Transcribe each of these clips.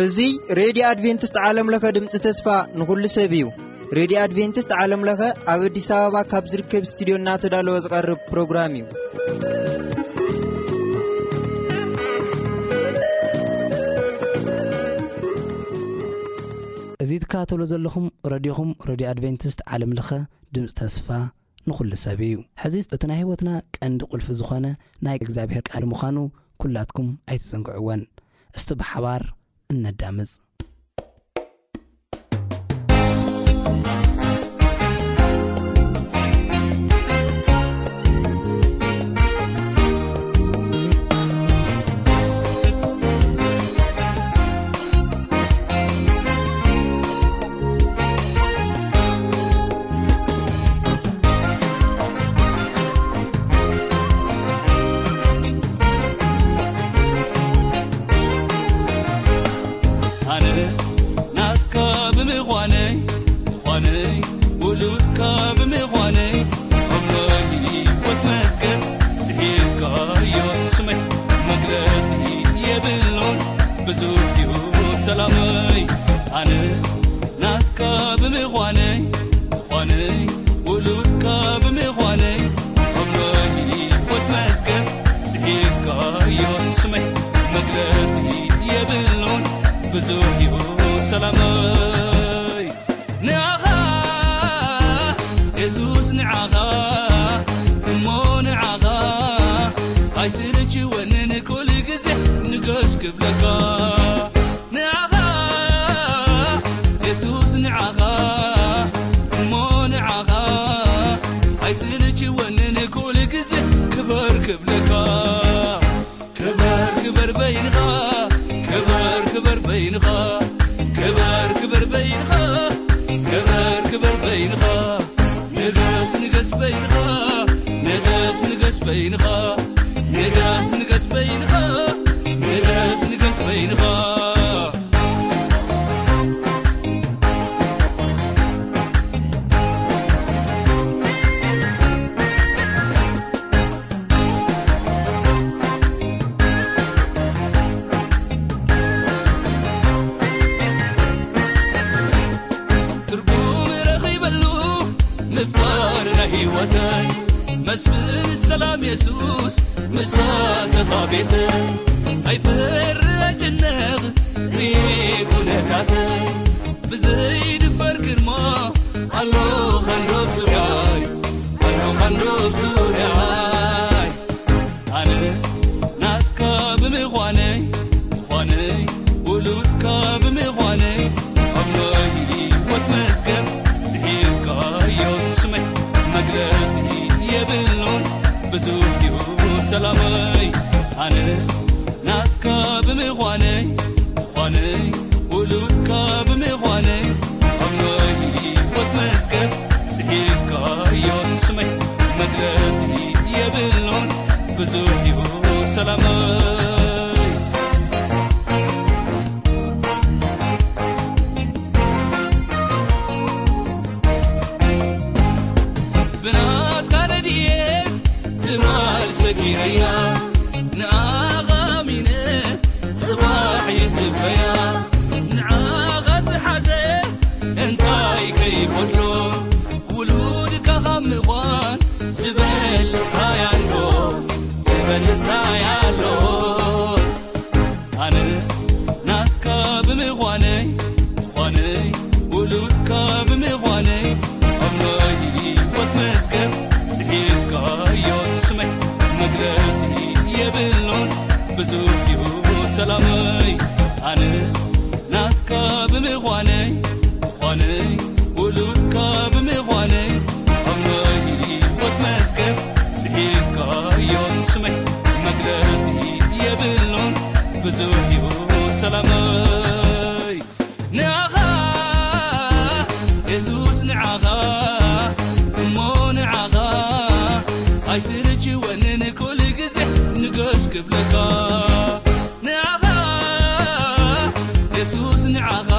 እዚ ሬድዮ ኣድቬንቲስት ዓለም ለኸ ድምፂ ተስፋ ንኹሉ ሰብ እዩ። ሬድዮ ኣድቬንቲስት ዓለም ለኸ ኣብ ኣዲስ ኣበባ ካብ ዝርከብ ስቱድዮ እናተዳለወ ዝቐርብ ፕሮግራም እዩ። እዚ ትከታተሉ ዘለኹም ረድዮኹም፣ ረድዮ ኣድቬንቲስት ዓለም ለኸ ድምፂ ተስፋ ንኹሉ ሰብ እዩ። ሕዚ እቲ ናይ ህይወትና ቀንዲ ቁልፊ ዝኾነ ናይ እግዚኣብሔር ቃል ምዃኑ ኩላትኩም ኣይትዘንግዕወን። እስቲ ብሓባር እነዳምፅ። ኣነ ናትካ ብምዃነይ፣ ምዃነይ፣ ውሉድካ ብምዃነይ፣ ኣብ ናይ ህይወት መዝገብ ስሒብካዮ ስመይ። መግለጺ የብሉን ብዙሕ እዩ ሰላመይ። ኣነ ናትካ ብምዃነይ፣ ምዃነይ፣ ውሉድካ ብምዃነይ፣ ኣብ ናይ ህይወት መዝገብ ስሒብካዮ ስመይ። መግለጺ የብሉን ብዙሕ እዩ ሰላመይ። ንዓኻ የሱስ፣ ንዓኻ እሞ ንዓኻ ኣይስልችወንን፣ ኩሉ ግዜ ንገስ ክብለካ። ንዓኻ የሱስ፣ ንዓኻ እሞ ንዓኻ ኣይስልችወንን፣ ኩሉ ግዜ ክበር ክብለካ። ክበር ክበር በይንኻ፣ ክበር ክበር በይንኻ፣ ክበር ክበር በይንኻ፣ ክበር ክበር በይንኻ። ንገስ ንገስ በይንኻ፣ ንገስ ንገስ በይንኻ፣ ንገስ ንገስ በይንኻ፣ ንገስ ንገስ በይንኻ። ትርጉም ረኺበሉ ምፍጣር ናይ ህይወተይ፣ መስፍን ሰላም የሱስ ምሳተኻ ቤተይ። ኣይፈር ኣይጭነቕ ርኤ ኩነታተይ፣ ብዘይድፈር ግርማ ኣሎ ኻንዶብ ዙርያይ፣ ኣሎ ኻንዶብ ዙርያይ። ኣነ ናትካ ብምዃነይ፣ ምዃነይ፣ ውሉድካ ብምዃነይ፣ ኣብ ናይ ህይወት መዝገብ ስሒብካዮ ስመይ። መግለጺ የብሉን ብዙሕ እዩ ሰላመይ። ኣነ ናትካ ብምዃነይ፣ ምዃነይ፣ ውሉድካ ብምዃነይ፣ ኣብ ናይ ህይወት መዝገብ ስሒብካዮ ስመይ። መግለጺ የብሉን ብዙሕ እዩ ሰላመይ። ብናትካ ረድኤት ትማል ሰጊረያ፣ ንዓኻ ኣሚነ ጽባሕ ይጽበያ። ንዓኻ ዝሓዘ እንታይ ከይጎድሎ፣ ውሉድካ ካብ ምዃን ዝበልጽ እንታይ ኣሎ፣ ዝበልጽ እንታይ ኣሎ። ኣነ ናትካ ብምዃነይ፣ ምዃነይ፣ ውሉድካ ብምዃነይ፣ ኣብ ናይ ህይወት መዝገብ ስሒብካዮ ስመይ። መግለጺ የብሉን ብዙሕ እዩ ሰላመይ። ኣነ ናትካ ብምዃነይ፣ ምዃነይ፣ ውሉድካ ብምዃነይ፣ ኣብ ናይ ህይወት መዝገብ ስሒብካዮ ስመይ። መግለጺ የብሉን ብዙሕ እዩ ሰላመይ። ንዓኻ የሱስ፣ ንዓኻ እሞ ንዓኻ ኣይስልችወንን፣ ኩሉ ግዜ ንገስ ክብለካ። ንዓኻ የሱስ፣ ንዓኻ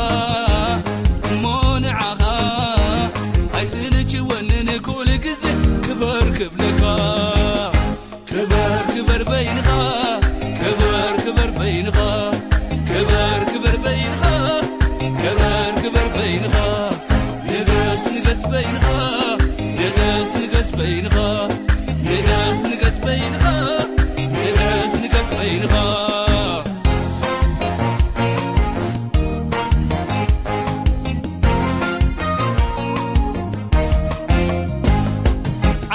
እሞ ንዓኻ ኣይስልችወንን፣ ኩሉ ግዜ ንገስ በይንኻ፣ ንገስ፣ ንገስ በይንኻ፣ ንገስ፣ ንገስ በይንኻ፣ ንገስ፣ ንገስ በይንኻ።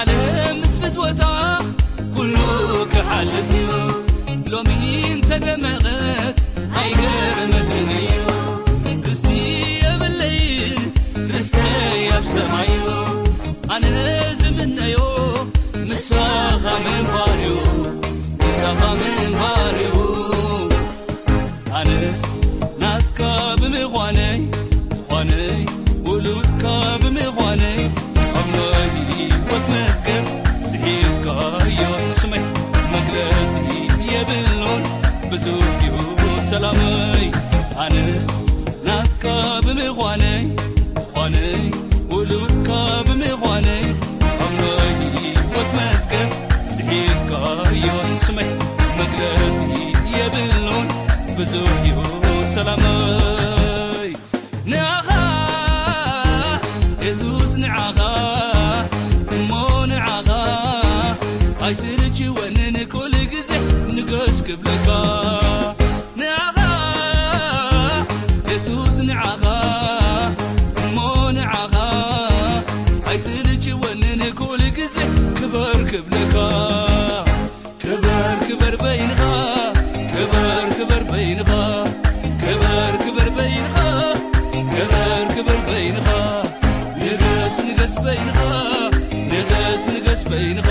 ዓለም ምስ ፍትወታ ኩሉ ክሓልፍ እዩ። ሎሚ እንተደመቐት ኣይገርመንን እዩ። ርስቲ የብለይን፣ ርስተይ ኣብ ሰማይ እዩ። ኣነ ዝምነዮ ምሳኻ ምንባር እዩ፣ ምሳኻ ምንባር እዩ። ኣነ ናትካ ብምዃነይ፣ ምዃነይ፣ ውሉድካ ብምዃነይ፣ ኣብ ናይ ህይወት መዝገብ ጽሒፍካዮ ስመይ፣ መግለጺ የብሉን ብዙሕ እዩ ሰላመይ። ኣነ ናትካ ብምዃነይ፣ ምዃነይ፣ ውሉድካ ብምዃነይ፣ ኣብ ናይ ህይወት መዝገብ ጽሒፍካዮ ስመይ፣ መግለጺ የብሉን ብዙሕ እዩ ሰላመይ። ንዓኻ የሱስ፣ ንዓኻ እሞ ንዓኻ ኣይስልችወንን፣ ኩሉ ግዜ ንገስ ክብለካ። ንዓኻ የሱስ፣ ንዓኻ እሞ ንዓኻ ኣይስልችወንን፣ ኩሉ ግዜ ክበር ክብለካ። ክበር ክበር በይንኻ፣ ክበር ክበር በይንኻ፣ ክበር ክበር በይንኻ፣ ክበር ክበር በይንኻ። ንገስ ንገስ በይንኻ፣ ንገስ ንገስ በይንኻ፣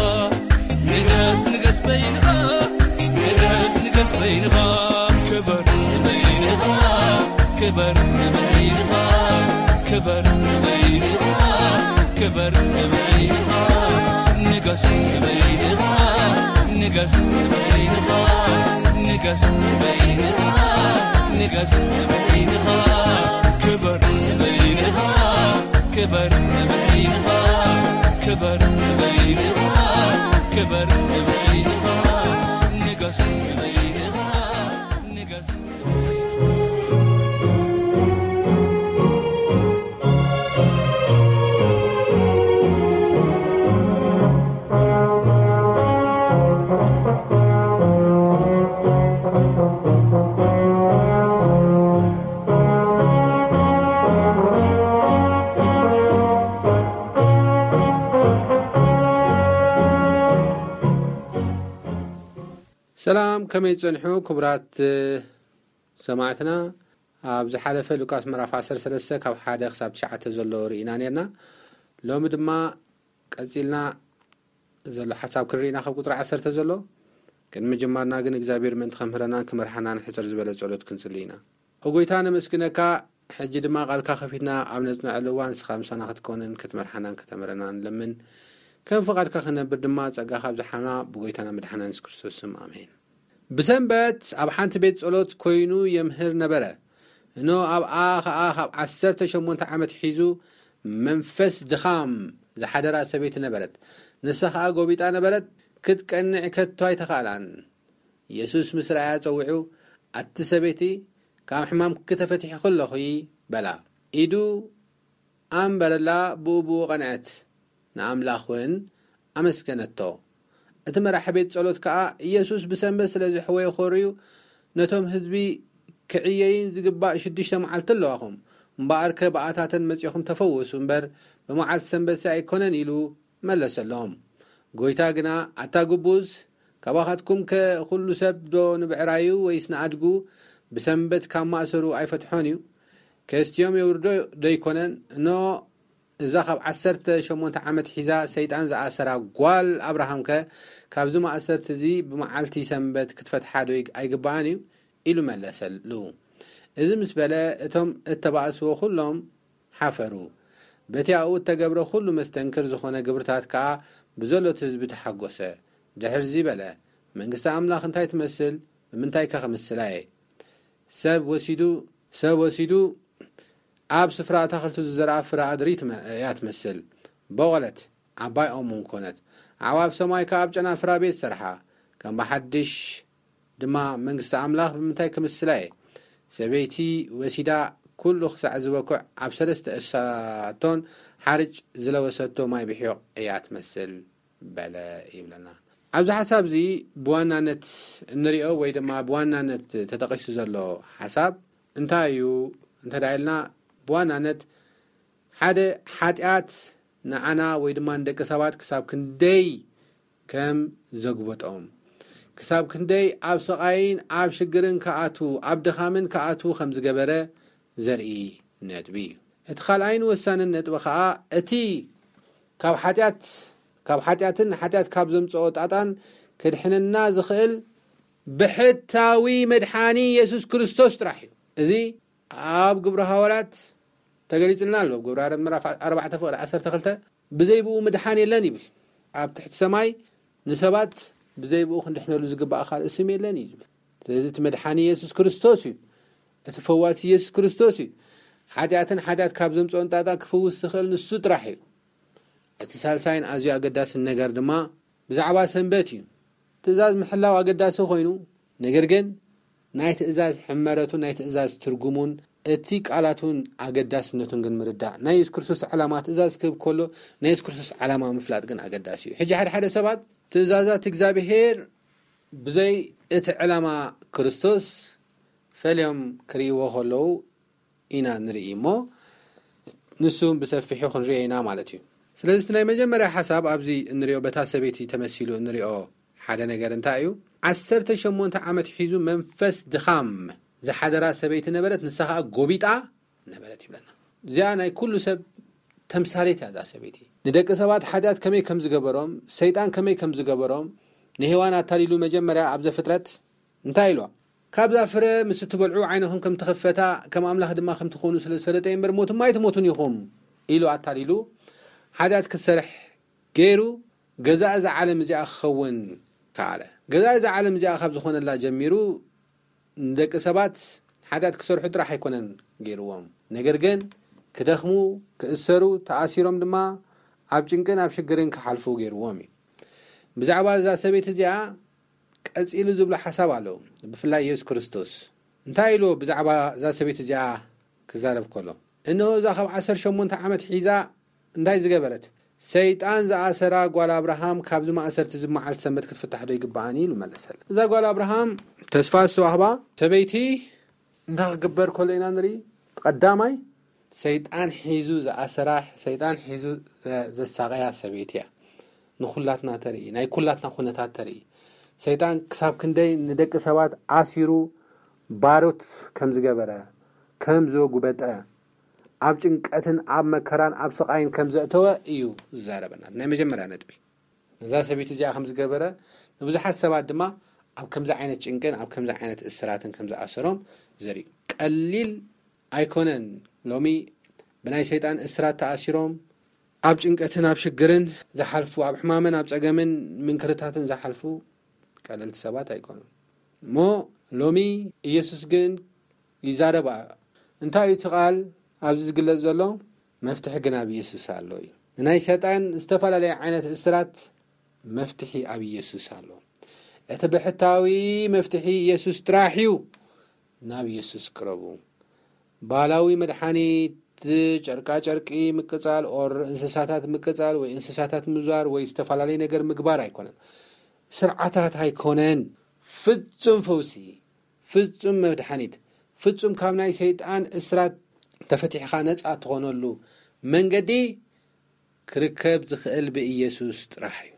ንገስ ንገስ በይንኻ፣ ንገስ ንገስ በይንኻ። ክበር በይንኻ፣ ክበር በይንኻ፣ ክበር በይንኻ፣ ክበር በይንኻ። ንገስ በይንኻ፣ ንገስ በይንኻ፣ ንገስ በይንኻ፣ ንገስ በይንኻ። ክበር በይንኻ፣ ክበር በይንኻ፣ ክበር በይንኻ፣ ክበር በይንኻ። ንገስ በይንኻ፣ ንገስ በይንኻ። ሰላም፣ ከመይ ጸንሑ ክቡራት ሰማዕትና? ኣብ ዝሓለፈ ሉቃስ ምዕራፍ ዓሰርተ ሰለስተ ካብ ሓደ ክሳብ ትሽዓተ ዘሎ ርኢና ነርና። ሎሚ ድማ ቀጺልና ዘሎ ሓሳብ ክንርኢና ካብ ቁጽሪ ዓሰርተ ዘሎ። ቅድሚ ምጅማርና ግን እግዚኣብሔር ምእንቲ ከምህረናን ክመርሓናን ሕጽር ዝበለ ጸሎት ክንጽሊ ኢና። ኦ ጎይታ ነመስግነካ፣ ሕጂ ድማ ቃልካ ከፊትና ኣብ ነጽንዐሉ እዋን ንስኻ ምሳና ክትኮንን ክትመርሓናን ከተምህረናን ንለምን። ከም ፍቓድካ ክነብር ድማ ጸጋኻ ኣብዝሓና ብጎይታና መድሓና የሱስ ክርስቶስ ስም ኣሜን። ብሰንበት ኣብ ሓንቲ ቤት ጸሎት ኮይኑ የምህር ነበረ። እኖ ኣብኣ ኸኣ ካብ ዓሰርተ ሸሞንተ ዓመት ሒዙ መንፈስ ድኻም ዝሓደራ ሰበይቲ ነበረት። ንሳ ኸኣ ጎቢጣ ነበረት፣ ክትቀንዕ ከቶ ኣይተኻእላን። የሱስ ምስ ረኣያ ጸዊዑ፣ ኣቲ ሰበይቲ፣ ካብ ሕማምኪ ተፈቲሕኺ ኣለኺ በላ። ኢዱ ኣንበረላ፣ ብኡ ብኡ ቐንዐት፣ ንኣምላኽ እውን ኣመስገነቶ። እቲ መራሒ ቤት ጸሎት ከኣ፣ ኢየሱስ ብሰንበት ስለ ዘሕወየ ኾርዩ፣ ነቶም ህዝቢ ክዕየይን ዝግባእ ሽዱሽተ መዓልቲ ኣለዋኹም፣ እምበኣርከ ብኣታተን መጺኹም ተፈወሱ እምበር፣ ብመዓልቲ ሰንበትሲ ኣይኮነን ኢሉ መለሰሎም። ጎይታ ግና፣ ኣታ ግቡዝ፣ ካባኻትኩምከ ኹሉ ሰብ ዶ ንብዕራዩ ወይስ ንኣድጉ ብሰንበት ካብ ማእሰሩ ኣይፈትሖን እዩ? ከስትዮም የውርዶ ዶ ኣይኮነን? እኖ እዛ ካብ ዓሰርተ ሸሞንተ ዓመት ሒዛ ሰይጣን ዝኣሰራ ጓል ኣብርሃምከ ካብዚ ማእሰርቲ እዚ ብመዓልቲ ሰንበት ክትፈትሓ ዶ ኣይግብኣን እዩ? ኢሉ መለሰሉ። እዚ ምስ በለ እቶም እተባእስዎ ኩሎም ሓፈሩ። በቲ ኣብኡ እተገብረ ኩሉ መስተንክር ዝኾነ ግብርታት ከኣ ብዘሎ እቲ ህዝቢ ተሓጎሰ። ድሕርዚ በለ፣ መንግስቲ ኣምላኽ እንታይ ትመስል? ብምንታይከ ክምስላ እየ? ሰብ ወሲዱ፣ ሰብ ወሲዱ ኣብ ስፍራ ኣታኽልቱ ዝዘርኣ ፍረ ኣድሪ ትመ-፣ እያ ትመስል። በቖለት፣ ዓባይ ኦም እውን ኮነት። ኣዕዋፍ ሰማይ ከኣ ኣብ ጨናፍራ ቤት ሰርሓ። ከም ብሓድሽ ድማ መንግስቲ ኣምላኽ ብምንታይ ክምስላ እየ? ሰበይቲ ወሲዳ ኩሉ ክሳዕ ዝበኩዕ ኣብ ሰለስተ እሳቶን ሓርጭ ዝለበሰቶ ማይ ብሒቕ እያ ትመስል በለ ይብለና። ኣብዚ ሓሳብ እዚ ብዋናነት እንሪኦ ወይ ድማ ብዋናነት ተጠቒሱ ዘሎ ሓሳብ እንታይ እዩ እንተ ኢልና፣ ብዋናነት ሓደ ሓጢኣት ንዓና ወይ ድማ ንደቂ ሰባት ክሳብ ክንደይ ከም ዘጉበጦም፣ ክሳብ ክንደይ ኣብ ስቓይን ኣብ ሽግርን ክኣትዉ፣ ኣብ ድኻምን ክኣትዉ ከም ዝገበረ ዘርኢ ነጥቢ እዩ። እቲ ካልኣይን ወሳንን ነጥቢ ኸኣ እቲ ካብ ሓጢኣት ካብ ሓጢኣትን ሓጢኣት ካብ ዘምጽኦ ጣጣን ክድሕነና ዝኽእል ብሕታዊ መድሓኒ የሱስ ክርስቶስ ጥራሕ እዩ። እዚ ኣብ ግብሪ ሃዋርያት ተገሊጽልና ኣሎ። ግብሪ ሃዋርያት ምዕራፍ ኣርባዕተ ፍቕዲ ዓሰርተ ክልተ፣ "ብዘይ ብኡ ምድሓን የለን" ይብል። ኣብ ትሕቲ ሰማይ ንሰባት ብዘይ ብኡ ክንድሕነሉ ዝግባእ ካልእ ስም የለን እዩ ዝብል። ስለዚ እቲ መድሓኒ የሱስ ክርስቶስ እዩ። እቲ ፈዋሲ የሱስ ክርስቶስ እዩ። ሓጢኣትን ሓጢኣት ካብ ዘምጽኦን ጣጣ ክፍውስ ዝኽእል ንሱ ጥራሕ እዩ። እቲ ሳልሳይን ኣዝዩ ኣገዳስን ነገር ድማ ብዛዕባ ሰንበት እዩ። ትእዛዝ ምሕላው ኣገዳሲ ኮይኑ፣ ነገር ግን ናይ ትእዛዝ ሕመረቱን ናይ ትእዛዝ ትርጉሙን እቲ ቃላቱን ኣገዳስነቱን ግን ምርዳእ። ናይ የሱስ ክርስቶስ ዓላማ ትእዛዝ ክህብ ከሎ ናይ የሱስ ክርስቶስ ዓላማ ምፍላጥ ግን ኣገዳሲ እዩ። ሕጂ ሓደ ሓደ ሰባት ትእዛዛት እግዚኣብሄር ብዘይ እቲ ዕላማ ክርስቶስ ፈልዮም ክርእይዎ ከለዉ ኢና ንርኢ እሞ፣ ንሱ ብሰፊሑ ክንሪኦ ኢና ማለት እዩ። ስለዚ እቲ ናይ መጀመርያ ሓሳብ ኣብዚ እንሪኦ በታ ሰበይቲ ተመሲሉ እንሪኦ ሓደ ነገር እንታይ እዩ? ዓሰርተ ሸሞንተ ዓመት ሒዙ መንፈስ ድኻም ዝሓደራ ሰበይቲ ነበረት፣ ንሳ ኸኣ ጎቢጣ ነበረት ይብለና። እዚኣ ናይ ኩሉ ሰብ ተምሳሌት እያ እዛ ሰበይቲ። ንደቂ ሰባት ሓጢኣት ከመይ ከም ዝገበሮም፣ ሰይጣን ከመይ ከም ዝገበሮም፣ ንሄዋን ኣታሊሉ መጀመርያ ኣብ ዘፍጥረት እንታይ ኢልዋ? "ካብዛ ፍረ ምስ እትበልዑ ዓይንኹም ከም ትኸፈታ ከም ኣምላኽ ድማ ከም ትኾኑ ስለ ዝፈለጠ እምበር ሞትማ ኣይትሞቱን ኢኹም" ኢሉ ኣታሊሉ ሓጢኣት ክትሰርሕ ገይሩ ገዛእ እዛ ዓለም እዚኣ ክኸውን ከኣለ። ገዛእ እዛ ዓለም እዚኣ ካብ ዝኾነላ ጀሚሩ ንደቂ ሰባት ሓጢኣት ክሰርሑ ጥራሕ ኣይኮነን ገይርዎም። ነገር ግን ክደኽሙ፣ ክእሰሩ፣ ተኣሲሮም ድማ ኣብ ጭንቅን ኣብ ሽግርን ክሓልፉ ገይርዎም እዩ። ብዛዕባ እዛ ሰበይቲ እዚኣ ቀጺሉ ዝብሎ ሓሳብ ኣለዉ። ብፍላይ የሱስ ክርስቶስ እንታይ ኢሉ ብዛዕባ እዛ ሰበይቲ እዚኣ ክዛረብ ከሎ፣ "እንሆ እዛ ካብ ዓሰርተ ሸሞንተ ዓመት ሒዛ" እንታይ ዝገበረት? "ሰይጣን ዝኣሰራ ጓል ኣብርሃም ካብዚ ማእሰርቲ እዚ መዓልቲ ሰንበት ክትፍታሕ ዶ ይግባኣኒ?" ኢሉ መለሰላ። እዛ ጓል ኣብርሃም ተስፋ ዝተዋህባ ሰበይቲ እንታይ ክግበር ከሎ ኢና ንርኢ? ቀዳማይ ሰይጣን ሒዙ ዝኣሰራ፣ ሰይጣን ሒዙ ዘ-፣ ዘሳቐያ ሰበይቲ እያ። ንኹላትና ተርኢ፣ ናይ ኩላትና ኩነታት ተርኢ። ሰይጣን ክሳብ ክንደይ ንደቂ ሰባት ኣሲሩ ባሮት ከም ዝገበረ፣ ከም ዘጉበጠ፣ ኣብ ጭንቀትን ኣብ መከራን ኣብ ስቓይን ከም ዘእተወ እዩ ዝዛረበና። ናይ መጀመርያ ነጥቢ። ነዛ ሰበይቲ እዚኣ ከም ዝገበረ፣ ንብዙሓት ሰባት ድማ ኣብ ከምዚ ዓይነት ጭንቅን ኣብ ከምዚ ዓይነት እስራትን ከም ዝኣሰሮም ዘርኢ እዩ። ቀሊል ኣይኮነን። ሎሚ ብናይ ሰይጣን እስራት ተኣሲሮም፣ ኣብ ጭንቀትን ኣብ ሽግርን ዝሓልፉ፣ ኣብ ሕማምን ኣብ ጸገምን ምንክርታትን ዝሓልፉ ቀለልቲ ሰባት ኣይኮኑን። እሞ ሎሚ ኢየሱስ ግን ይዛረብ። እንታይ እዩ እቲ ቃል ኣብዚ ዝግለጽ ዘሎ? መፍትሒ ግን ኣብ ኢየሱስ ኣሎ እዩ። ንናይ ሰይጣን ዝተፈላለየ ዓይነት እስራት መፍትሒ ኣብ ኢየሱስ ኣሎ። እቲ ብሕታዊ መፍትሒ ኢየሱስ ጥራሕ እዩ። ናብ ኢየሱስ ቅረቡ። ባህላዊ መድሓኒት፣ ጨርቃ ጨርቂ ምቅጻል፣ ኦር እንስሳታት ምቅጻል፣ ወይ እንስሳታት ምዛር፣ ወይ ዝተፈላለየ ነገር ምግባር ኣይኮነን። ስርዓታት ኣይኮነን። ፍጹም ፈውሲ፣ ፍጹም መድሓኒት፣ ፍጹም ካብ ናይ ሰይጣን እስራት ተፈቲሕኻ ነጻ ትኾነሉ መንገዲ ክርከብ ዝኽእል ብኢየሱስ ጥራሕ እዩ።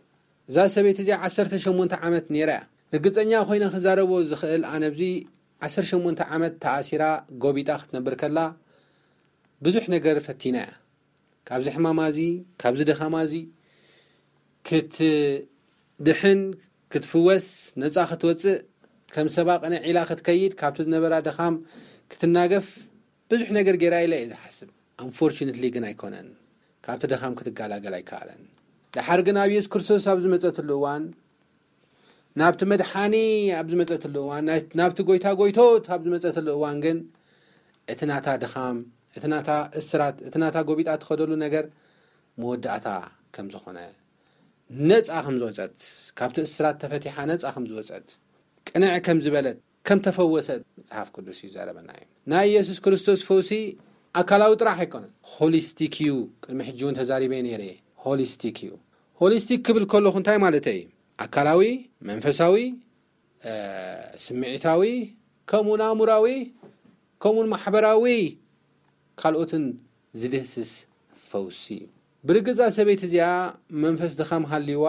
እዛ ሰበይቲ እዚኣ ዓሰርተ ሸሞንተ ዓመት ነይራ እያ። ርግጸኛ ኮይነ ክዛረቦ ዝኽእል ኣነ፣ ኣብዚ ዓሰርተ ሸሞንተ ዓመት ተኣሲራ ጎቢጣ ክትነብር ከላ ብዙሕ ነገር ፈቲና እያ። ካብዚ ሕማማ እዚ፣ ካብዚ ድኻማ እዚ ክትድሕን፣ ክትፍወስ፣ ነጻ ክትወጽእ፣ ከም ሰባ ቅንዕ ኢላ ክትከይድ፣ ካብቲ ዝነበራ ድኻም ክትናገፍ ብዙሕ ነገር ገይራ ኢለ እየ ዝሓስብ። ኣንፎርቹነትሊ ግን ኣይኮነን። ካብቲ ድኻም ክትገላገል ኣይከኣለን። ደሓር ግን ኣብ የሱስ ክርስቶስ ኣብ ዝመጸትሉ እዋን፣ ናብቲ መድሓኒ ኣብ ዝመጸትሉ እዋን፣ ናይ-፣ ናብቲ ጎይታ ጎይቶት ኣብ ዝመጸትሉ እዋን ግን፣ እቲ ናታ ድኻም፣ እቲ ናታ እስራት፣ እቲ ናታ ጎቢጣ ትኸደሉ ነገር መወዳእታ ከም ዝኾነ፣ ነጻ ከም ዝወጸት፣ ካብቲ እስራት ተፈቲሓ ነጻ ከም ዝወጸት፣ ቅንዕ ከም ዝበለት፣ ከም ተፈወሰት መጽሓፍ ቅዱስ ይዛረበና እዩ። ናይ ኢየሱስ ክርስቶስ ፈውሲ ኣካላዊ ጥራሕ ኣይኮነን፣ ሆሊስቲክ እዩ። ቅድሚ ሕጂ እውን ተዛሪበ ነይረ። ሆሊስቲክ እዩ። ሆሊስቲክ ክብል ከለኹ እንታይ ማለት እዩ? ኣካላዊ፣ መንፈሳዊ፣ ስምዒታዊ፣ ከምኡን ኣእምራዊ፣ ከምኡን ማሕበራዊ ካልኦትን ዝድህስስ ፈውሲ እዩ። ብርግጻ ሰበይቲ እዚኣ መንፈስ ድኻም ሃልይዋ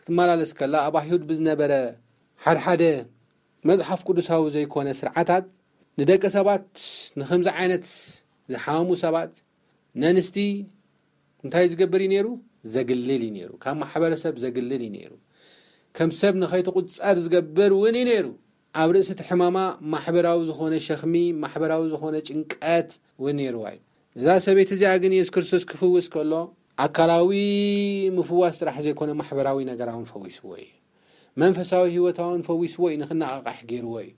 ክትመላለስ ከላ፣ ኣብ ኣይሁድ ብዝነበረ ሓድሓደ መጽሓፍ ቅዱሳዊ ዘይኮነ ስርዓታት ንደቂ ሰባት ንኸምዚ ዓይነት ዝሓሙ ሰባት ነንስቲ እንታይ ዝገብር እዩ ነይሩ? ዘግልል እዩ ነይሩ። ካብ ማሕበረሰብ ዘግልል እዩ ነይሩ። ከም ሰብ ንኸይትቁጸር ዝገብር እውን እዩ ነይሩ። ኣብ ርእሲ እቲ ሕማማ ማሕበራዊ ዝኾነ ሸኽሚ፣ ማሕበራዊ ዝኾነ ጭንቀት እውን ነይርዋ እዩ። እዛ ሰበይቲ እዚኣ ግን የሱስ ክርስቶስ ክፍውስ ከሎ ኣካላዊ ምፍዋስ ጥራሕ ዘይኮነ ማሕበራዊ ነገራውን ፈዊስዎ እዩ። መንፈሳዊ ህይወታውን ፈዊስዎ እዩ፣ ንክነቓቓሕ ገይርዎ እዩ።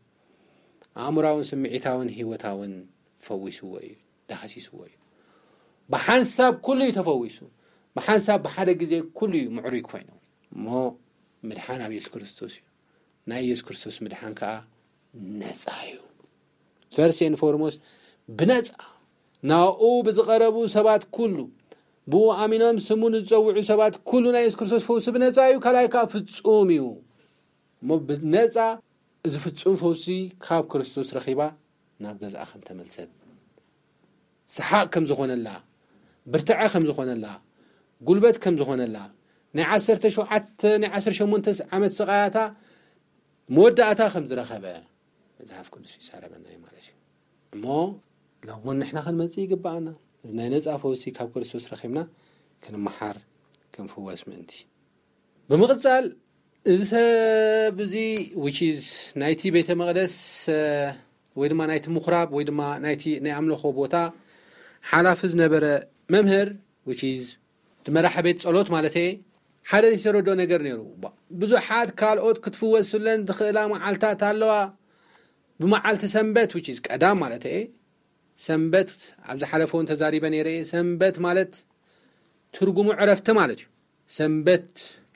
ኣእምራውን ስምዒታውን ህይወታውን ፈዊስዎ እዩ፣ ዳህሲስዎ እዩ። ብሓንሳብ ኩሉ እዩ ተፈዊሱ። ብሓንሳብ ብሓደ ግዜ ኩሉ እዩ ምዕሩይ ኮይኑ። እሞ ምድሓን ኣብ የሱስ ክርስቶስ እዩ። ናይ የሱስ ክርስቶስ ምድሓን ከኣ ነጻ እዩ። ፈርስት ኤንድ ፎርሞስት ብነጻ ናኡ ብዝቐረቡ ሰባት ኩሉ፣ ብኡ ኣሚኖም ስሙ ንዝጸውዑ ሰባት ኩሉ ናይ የሱስ ክርስቶስ ፈውሲ ብነጻ እዩ፣ ካልኣይ ከኣ ፍጹም እዩ። እሞ ብነጻ እዚ ፍጹም ፈውሲ ካብ ክርስቶስ ረኺባ ናብ ገዝኣ ከም ተመልሰት፣ ሰሓቕ ከም ዝኾነላ፣ ብርትዐ ከም ዝኾነላ፣ ጉልበት ከም ዝኾነላ፣ ናይ ዓሰርተ ሸውዓተ ናይ ዓሰርተ ሸሞንተ ዓመት ስቓያታ መወዳእታ ከም ዝረኸበ መጽሓፍ ቅዱስ ይዛረበና እዩ ማለት እዩ። እሞ ሎሚ እውን ንሕና ክንመጽእ ይግብኣና። እዚ ናይ ነጻ ፈውሲ ካብ ክርስቶስ ረኺብና ክንመሓር ክንፍወስ ምእንቲ። ብምቕጻል እዚ ሰብ እዚ which is ናይቲ ቤተ መቕደስ ወይ ድማ ናይቲ ምኹራብ ወይ ድማ ናይቲ ናይ ኣምልኾ ቦታ ሓላፊ ዝነበረ መምህር which is እቲ መራሒ ቤት ጸሎት ማለት እየ ሓደ ዝተረድኦ ነገር ነይሩ። ብዙሓት ካልኦት ክትፍወስለን ዝኽእላ መዓልታት ኣለዋ። ብመዓልቲ ሰንበት which is ቀዳም ማለት እየ ሰንበት ኣብ ዝሓለፈ እውን ተዛሪበ ነይረ እየ። ሰንበት ማለት ትርጉሙ ዕረፍቲ ማለት እዩ። ሰንበት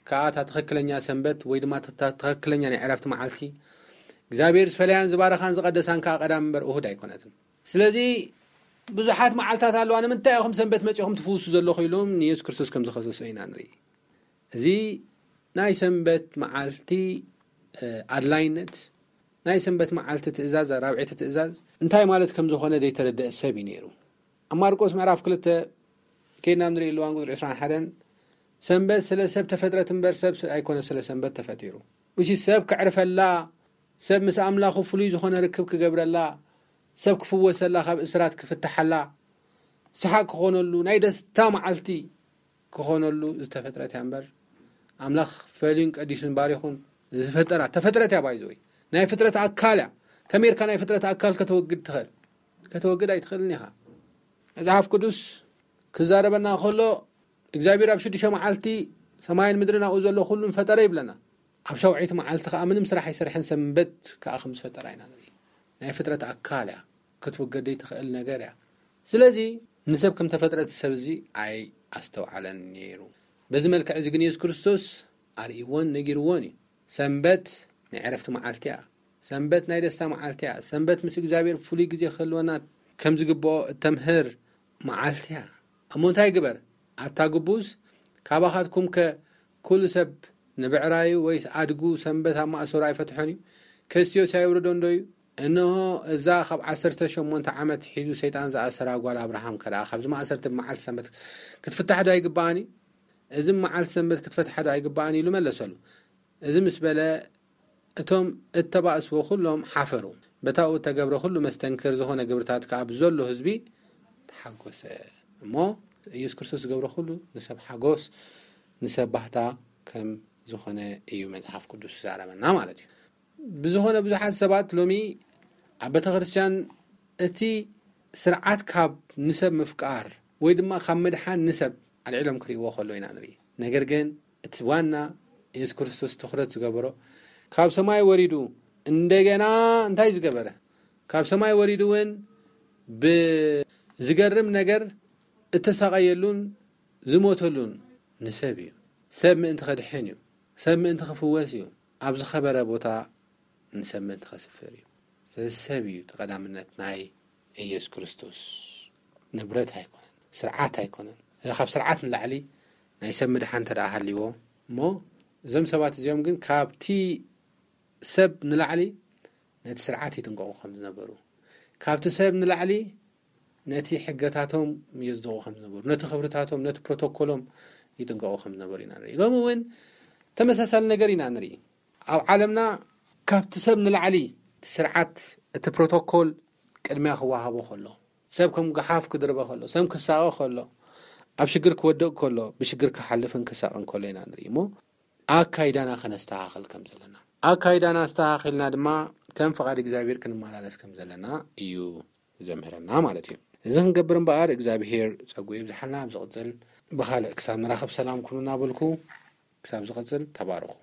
ከኣ እታ ትኽክለኛ ሰንበት ወይ ድማ እታ ትኽክለኛ ናይ ዕረፍቲ መዓልቲ እግዚኣብሔር ዝፈለያን ዝባረኻን ዝቐደሳን ከኣ ቀዳም እምበር እሁድ ኣይኮነትን። ስለዚ ብዙሓት መዓልታት ኣለዋ፣ ንምንታይ ኢኹም ሰንበት መጺኹም ትፍውሱ ዘለኹ ኢሎም ንየሱስ ክርስቶስ ከም ዝኸሰሶ ኢና ንርኢ። እዚ ናይ ሰንበት መዓልቲ ኣድላይነት ናይ ሰንበት መዓልቲ ትእዛዝ ኣራብዒቲ ትእዛዝ እንታይ ማለት ከም ዝኾነ ዘይተረደአ ሰብ እዩ ነይሩ። ኣብ ማርቆስ ምዕራፍ ክልተ ከይድና ንርኢ ኣለዋን ቁፅሪ ዕስራን ሓደን ሰንበት ስለ ሰብ ተፈጥረት እምበር ሰብ ኣይኮነ ስለ ሰንበት ተፈጢሩ። እሺ ሰብ ክዕርፈላ ሰብ ምስ ኣምላኹ ፍሉይ ዝኾነ ርክብ ክገብረላ ሰብ ክፍወሰላ ካብ እስራት ክፍትሓላ ሰሓቅ ክኾነሉ ናይ ደስታ መዓልቲ ክኾነሉ ዝተፈጥረት እያ እምበር ኣምላኽ ፈልዩን ቀዲሱን ባሪኹን ዝፈጠራ ተፈጥረት እያ ባይዘ ወይ ናይ ፍጥረት ኣካል እያ። ከመይ ኢልካ ናይ ፍጥረት ኣካል ከተወግድ ትኽእል? ከተወግድ ኣይትኽእልን ኢኻ። መጽሓፍ ቅዱስ ክዛረበና ከሎ እግዚኣብሔር ኣብ ሽዱሽተ መዓልቲ ሰማይን ምድርን ኣብኡ ዘሎ ኩሉን ፈጠረ ይብለና። ኣብ ሻውዒቲ መዓልቲ ከዓ ምንም ስራሕ ኣይሰርሐን ሰንበት ከዓ ከም ዝፈጠራ ኢና ንርኢ። ናይ ፍጥረት ኣካል እያ ክትውገድ ዘይትኽእል ነገር እያ። ስለዚ ንሰብ ከም ተፈጥረት ሰብ እዚ ኣይ ኣስተውዓለን ነይሩ። በዚ መልክዕ እዚ ግን የሱስ ክርስቶስ ኣርእይዎን ነጊርዎን እዩ። ሰንበት ናይ ዕረፍቲ መዓልቲ እያ። ሰንበት ናይ ደስታ መዓልቲ እያ። ሰንበት ምስ እግዚኣብሔር ፍሉይ ግዜ ክህልወና ከም ዝግብኦ እተምህር መዓልቲ እያ። እሞ እንታይ ግበር ኣብታ ግቡዝ ካባኻትኩም ከ ኩሉ ሰብ ንብዕራዩ ወይስ ኣድጉ ሰንበት ኣብ ማእሰሩ ኣይፈትሖን እዩ? ከስትዮስ ኣይውርዶን ዶ እዩ? እንሆ እዛ ካብ ዓሰርተ ሸሞንተ ዓመት ሒዙ ሰይጣን ዝኣሰራ ጓል ኣብርሃም ከደኣ ካብዚ ማእሰርቲ ብመዓልቲ ሰንበት ክትፍታሕ ዶ ኣይግባኣን እዩ? እዚ ብመዓልቲ ሰንበት ክትፈትሓ ዶ ኣይግባኣን እዩ? ኢሉ መለሰሉ። እዚ ምስ በለ እቶም እተባእስዎ ኩሎም ሓፈሩ። በታኡ እተገብረ ኩሉ መስተንክር ዝኾነ ግብርታት ከኣ ብዘሎ ህዝቢ ተሓጎሰ። እሞ ኢየሱስ ክርስቶስ ዝገብሮ ኩሉ ንሰብ ሓጎስ ንሰብ ባህታ ከም ዝኾነ እዩ መጽሓፍ ቅዱስ ዝዛረበና ማለት እዩ። ብዝኾነ ብዙሓት ሰባት ሎሚ ኣብ ቤተ ክርስቲያን እቲ ስርዓት ካብ ንሰብ ምፍቃር ወይ ድማ ካብ ምድሓን ንሰብ ኣልዒሎም ክርእይዎ ከሎ ኢና ንርኢ። ነገር ግን እቲ ዋና የሱስ ክርስቶስ ትኹረት ዝገበሮ ካብ ሰማይ ወሪዱ እንደገና እንታይ ዝገበረ ካብ ሰማይ ወሪዱ እውን ብዝገርም ነገር እተሳቐየሉን ዝሞተሉን ንሰብ እዩ። ሰብ ምእንቲ ከድሕን እዩ። ሰብ ምእንቲ ክፍወስ እዩ። ኣብ ዝኸበረ ቦታ ንሰብ ምእንቲ ከስፍር እዩ። ስለዚ ሰብ እዩ እቲ ቀዳምነት ናይ ኢየሱስ ክርስቶስ። ንብረት ኣይኮነን፣ ስርዓት ኣይኮነን። እዚ ካብ ስርዓት ንላዕሊ ናይ ሰብ ምድሓን እንተ ደኣ ሃልይዎ እሞ፣ እዞም ሰባት እዚኦም ግን ካብቲ ሰብ ንላዕሊ ነቲ ስርዓት ይጥንቀቑ ከም ዝነበሩ፣ ካብቲ ሰብ ንላዕሊ ነቲ ሕገታቶም የጽድቑ ከም ዝነበሩ፣ ነቲ ክብርታቶም፣ ነቲ ፕሮቶኮሎም ይጥንቀቑ ከም ዝነበሩ ኢና ንርኢ። ሎሚ እውን ተመሳሳሊ ነገር ኢና ንርኢ። ኣብ ዓለምና ካብቲ ሰብ ንላዕሊ እቲ ስርዓት፣ እቲ ፕሮቶኮል ቅድሚያ ክወሃቦ ከሎ፣ ሰብ ከም ገሓፍ ክድርበ ከሎ፣ ሰብ ክሳቐ ከሎ፣ ኣብ ሽግር ክወድቕ ከሎ፣ ብሽግር ክሓልፍን ክሳቕን ከሎ ኢና ንርኢ እሞ፣ ኣካይዳና ከነስተኻኽል ከም ዘለና፣ ኣካይዳና ኣስተኻኺልና ድማ ከም ፍቓድ እግዚኣብሔር ክንመላለስ ከም ዘለና እዩ ዘምህረና ማለት እዩ። እዚ ክንገብር እምበኣር እግዚኣብሔር ጸጉ የብዝሓልና። ኣብ ዝቕጽል ብኻልእ ክሳብ ንራኸብ ሰላም ኩኑ እናበልኩ፣ ክሳብ ዝቕጽል ተባረኹ።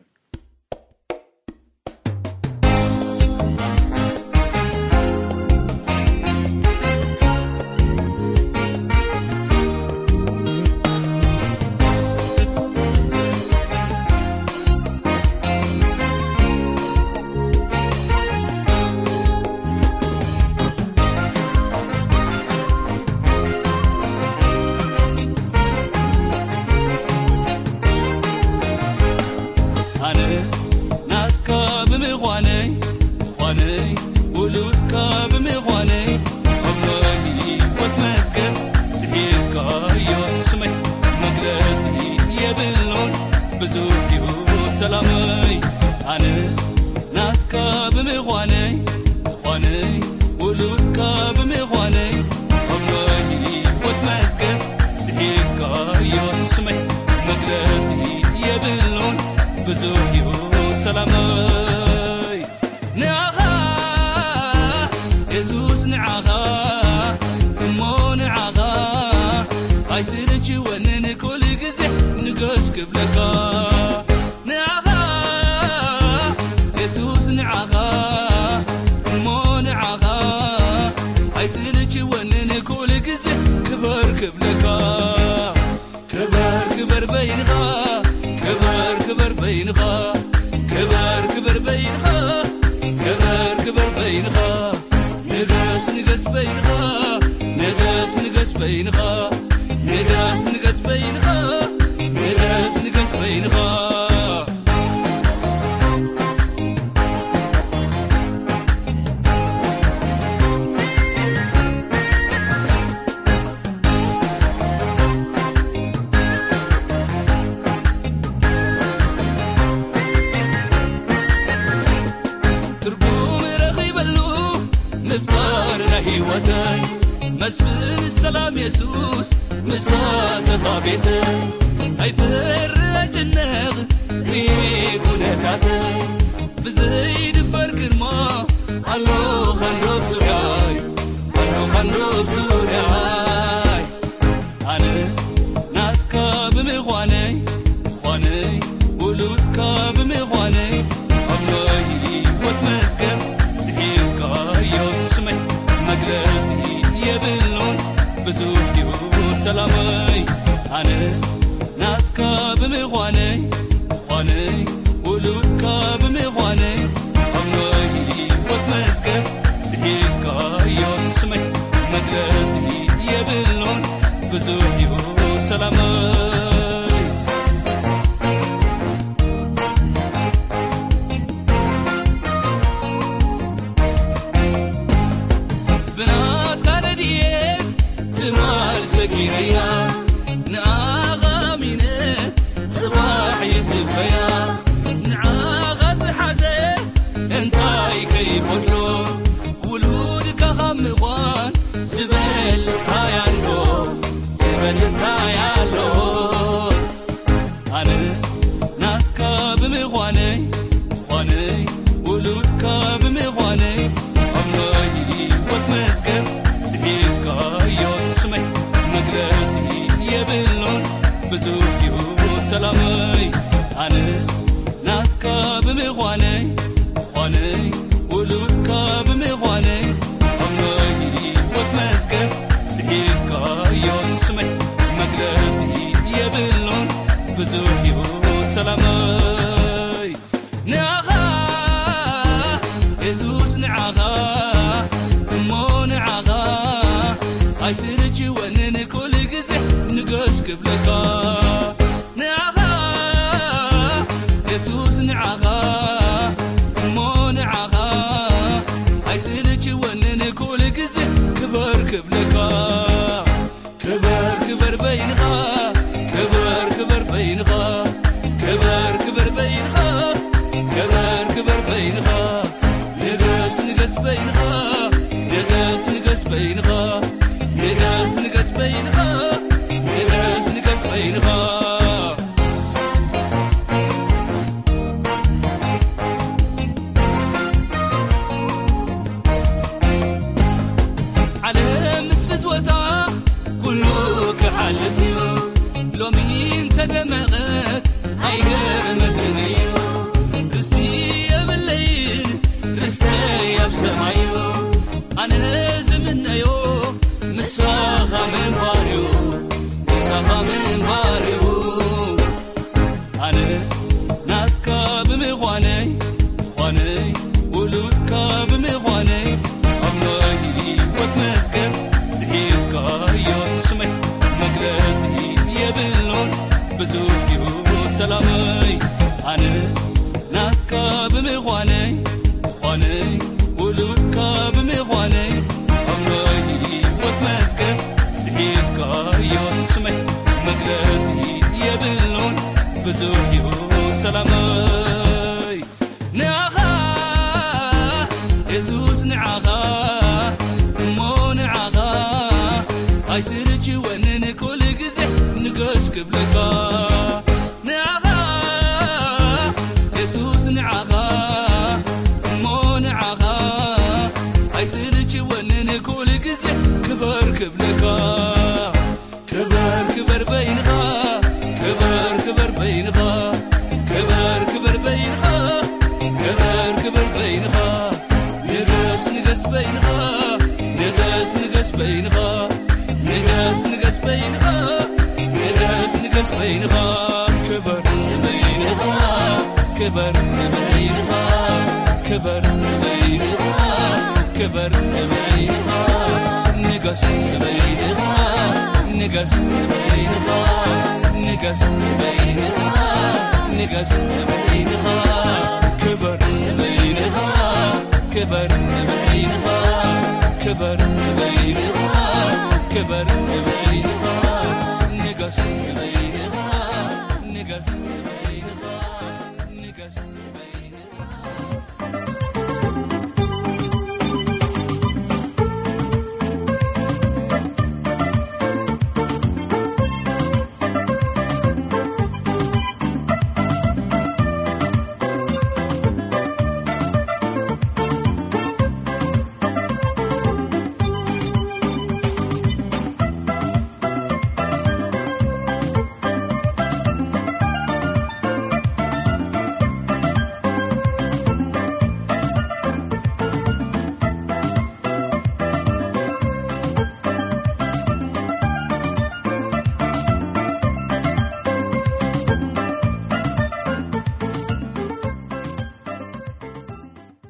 ኣነ ናትካ ብምዃነይ፣ ምዃነይ ውሉድካ ብምዃነይ፣ ኣብ ናይ ህይወት መዝገብ ጽሒፍካዮ ስመይ፣ መግለጺ የብሉን ብዙሕ እዩ ሰላመይ። ኣነ ናትካ ብምዃነይ፣ ምዃነይ ውሉድካ ብምዃነይ፣ ኣብ ናይ ህይወት መዝገብ ጽሒፍካዮ ስመይ፣ መግለጺ የብሉን ብዙሕ እዩ ሰላመይ። ንዓኻ የሱስ፣ ንዓኻ እሞ ንዓኻ ኣይስልችወንን፣ ኩሉ ግዜ ንገስ ክብለካ። ንዓኻ የሱስ፣ ንዓኻ እሞ ንዓኻ ኣይስልችወንን፣ ኩሉ ግዜ ክበር ክብለካ። ክበር ክበር በይንኻ፣ ክበር ክበር በይንኻ፣ ክበር ክበር በይንኻ፣ ክበር ክበር በይንኻ። ንገስ ንገስ በይንኻ፣ ንገስ ንገስ በይንኻ፣ ንገስ ንገስ በይንኻ፣ ንገስ ንገስ በይንኻ። ትርጉም ረኺበሉ ምፍጣር ናይ ህይወተይ፣ መስፍን ሰላም የሱስ ምሳተኻ ቤተይ። ኣይፈር ኣይጭነቕ ርኤ ኩነታተይ፣ ብዘይድፈር ግርማ ኣሎ ካንዶብ ዙርያይ፣ ኣሎ ካንዶብ ዙርያይ። ኣነ ናትካ ብምዃነይ፣ ምዃነይ ውሉድካ ብምዃነይ፣ ኣብ ናይ ህይወት መዝገብ ጽሒፍካዮ ስመይ፣ መግለጺ የብሉን ብዙሕ እዩ ሰላመይ። ኣነ ናትካ ብምዃነይ፣ ምዃነይ ውሉድካ ብምዃነይ፣ ኣብ ናይ ህይወት መዝገብ ጽሒፍካዮ ስመይ፣ መግለጺ የብሉን ብዙሕ እዩ ሰላመይ። ብናትካ ረድኤት ትማል ሰጊረያ፣ ንዓኻ ኣሚነ ጽባሕ ይጽበያ። ንዓኻ ዝሓዘ እንታይ ከይጎድሎ፣ ውሉድካ ካብ ምዃን ዝበልጽ እንታይ ኣሎ፣ ዝበልጽ እንታይ ኣሎ። ኣነ ናትካ ብምዃነይ፣ ምዃነይ ውሉድካ ብምዃነይ፣ ኣብ ናይ ህይወት መዝገብ ጽሒፍካዮ ስመይ፣ መግለጺ የብሉን ብዙሕ እዩ ሰላመይ። ኣነ ናትካ ብምዃነይ፣ ምዃነይ ውሉድካ ብምዃነይ፣ ኣብ ናይ ህይወት መዝገብ ጽሒፍካዮ ስመይ፣ መግለጺ የብሉን ብዙሕ እዩ ሰላመይ። ንዓኻ የሱስ፣ ንዓኻ እሞ ንዓኻ ኣይስልችወን ደመቐት ኣይገርመክን እዩ። ርስቲ የብለይን፣ ርስተይ ኣብ ሰማይ እዩ። ኣነ ዝምነዮ ምሳኻ ምንባር እዩ፣ ምሳኻ ምንባር እዩ። ኣነ ናትካ ብምዃነይ፣ ዃነይ ውሉድካ ብምዃነይ፣ ኣብ ናይ ህይወት መዝገብ ስሒብካዮ ስመይ፣ መግለጺ የብሉን ብዙሕ እዩ ሰላመይ። ኣነ ናትካ ብምዃነይ፣ ዃነይ ውሉድካ ብምዃነይ፣ ኣብ ናይ ህይወት መዝገብ ስሒብካዮ ስመይ፣ መግለጺ የብሉን ብዙሕ እዩ ሰላመይ። ንዓኻ የሱስ፣ ንዓኻ እሞ ንዓኻ ኣይስልችወንን፣ ኩሉ ግዜ ንገስ ክብለካ። ንዓኻ የሱስ፣ ንዓኻ እሞ ንዓኻ ኣይስልችወንን፣ ኩሉ ግዜ ክበር ክብለካ። ክበር ክበር በይንኻ፣ ክበር ክበር በይንኻ፣ ክበር ክበር በይንኻ፣ ክበር ክበር በይንኻ። ንገስ ንገስ በይንኻ፣ ንገስ ንገስ በይንኻ፣ ንገስ ንገስ በይንኻ፣ ንገስ ንገስ በይንኻ። ክበር በይንኻ፣ ክበር በይንኻ፣ ክበር በይንኻ፣ ክበር በይንኻ። ንገስ በይንኻ፣ ንገስ በይንኻ፣ ንገስ በይንኻ፣ ንገስ በይንኻ። ክበር በይንኻ፣ ክበር በይንኻ፣ ክበር በይንኻ፣ ክበር በይንኻ። ንገስ በይንኻ፣ ንገስ